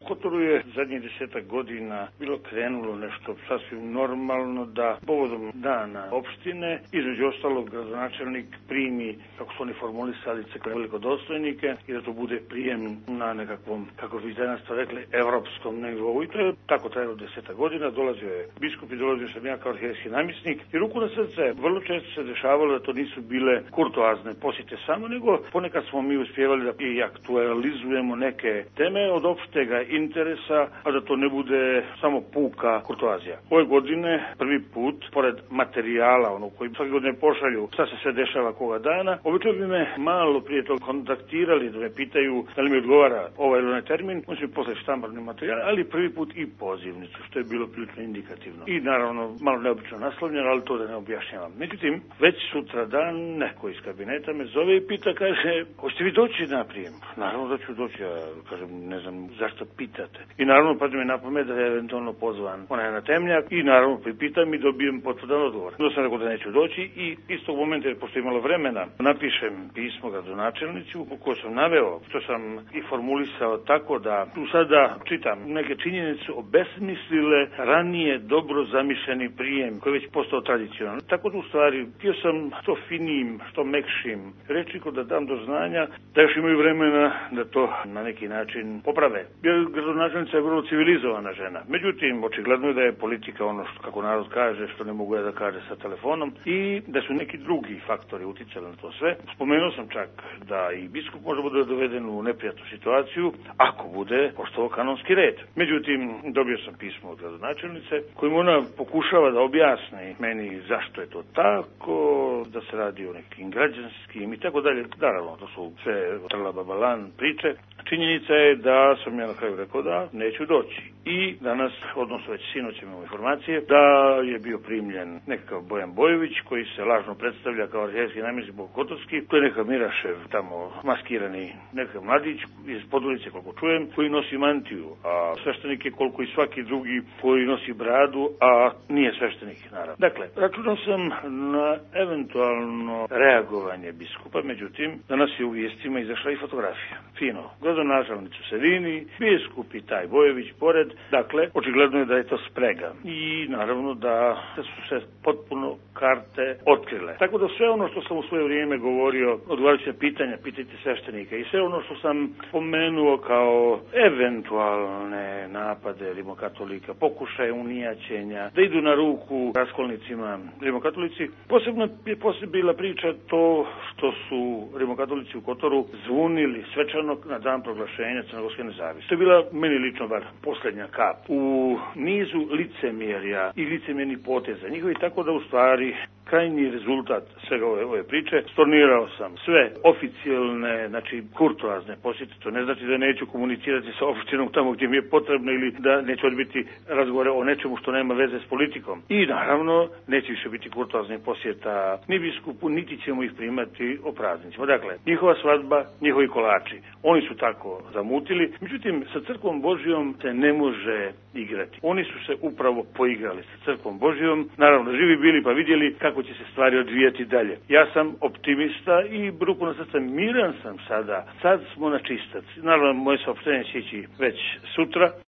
U Kotoru je zadnjih 10 godina bilo krenulo nešto sasvim normalno da povodom dana opštine, između ostalog gradonačelnik primi, kako su oni formulisali, velikodostojnike i da to bude prijem na nekakvom, kako bi danas to rekli, evropskom nivou. I to je tako trajalo 10 godina. Dolazio je biskup i dolazio sam ja kao arhijejski namjesnik. I ruku na srce, vrlo često se dešavalo da to nisu bile kurtoazne posjete samo, nego ponekad smo mi uspjevali da i aktualizujemo neke teme od opštega interesa, a da to ne bude samo puka kurtoazija. Ove godine prvi put, pored materijala, koji svake godine pošalju šta se sve dešava koga dana, obično bi me malo prije toga kontaktirali da me pitaju da li mi odgovara ovaj ili onaj termin, on će mi poslati štamparni materijal, ali prvi put i pozivnicu, što je bilo prilično indikativno. I naravno malo neobično naslovljeno, ali to da ne objašnjavam. Međutim, već sutra dan neko iz kabineta me zove i pita, kaže, hoćete vi doći na prijem? Naravno da ću doći, ja kažem, ne znam zašto pitate. I naravno padne mi na pamet da je eventualno pozvan onaj na temnjak i naravno pripitam i dobijem potvrdan odgovor. Onda sam rekao da neću doći i istog momenta, jer pošto je imalo vremena, napišem pismo gradonačelnici u koje sam naveo, što sam i formulisao tako da tu sada čitam neke činjenice obesmislile ranije dobro zamišljeni prijem koji je već postao tradicionalan. Tako da u stvari htio sam što finijim, što mekšim rečnikom da dam do znanja da još imaju vremena da to na neki način poprave. Jer gradonačelnica je vrlo civilizovana žena. Međutim, očigledno je da je politika ono što, kako narod kaže, što ne mogu ja da kaže sa telefonom i da su neki drugi faktori uticali na to sve. Spomenuo sam čak da i biskup može bude doveden u neprijatnu situaciju ako bude poštovao kanonski red. Međutim, dobio sam pismo od gradonačelnice kojim ona pokušava da objasni meni zašto je to tako, da se radi o nekim građanskim i tako dalje. Naravno, to su sve trla-babalan priče. Činjenica je da sam ja na kraju rekao da neću doći. I danas, odnosno već sinoć imamo informacije, da je bio primljen nekakav Bojan Bojović koji se lažno predstavlja kao arhijejski namjesnik Bokotorski. To je neka Mirašev tamo maskirani nekakav mladić iz Podgorice, koliko čujem, koji nosi mantiju, a sveštenik je koliko i svaki drugi koji nosi bradu, a nije sveštenik, naravno. Dakle, računao sam na eventualno reagovanje biskupa, međutim, danas je u vijestima izašla i fotografija. Fino. Gradonačelnik u sredini, biskup i taj Bojović pored. Dakle, očigledno je da je to sprega. I naravno da su se potpuno karte otkrile. Tako da sve ono što sam u svoje vrijeme govorio, odgovarajuće pitanja, pitajte sveštenika i sve ono što sam pomenuo kao eventualne napade rimokatolika, pokušaje unijaćenja, da idu na ruku raskolnicima rimokatolici. Posebno je bila priča to što su rimokatolici u Kotoru zvunili svečano na dan proglašenja crnogorske nezavisnosti. To je bila, meni lično bar, posljednja kap u nizu licemjerja i licemjernih poteza njihovi, tako da u stvari krajnji rezultat svega ove priče, stornirao sam sve oficijalne, znači kurtoazne posjete, to ne znači da neću komunicirati sa opštinom tamo gdje mi je potrebno ili da neću odbiti razgovore o nečemu što nema veze s politikom. I naravno, neće više biti kurtoaznih posjeta ni biskupu, niti ćemo ih primati o praznicima. Dakle, njihova svadba, njihovi kolači. Oni su tako zamutili. Međutim, sa crkvom Božijom se ne može igrati. Oni su se upravo poigrali sa crkvom Božijom. Naravno, živi bili pa vidjeli kako će se stvari odvijati dalje. Ja sam optimista i ruku na srce miran sam sada. Sad smo na čistac. Naravno, moje saopštenje će ići već sutra.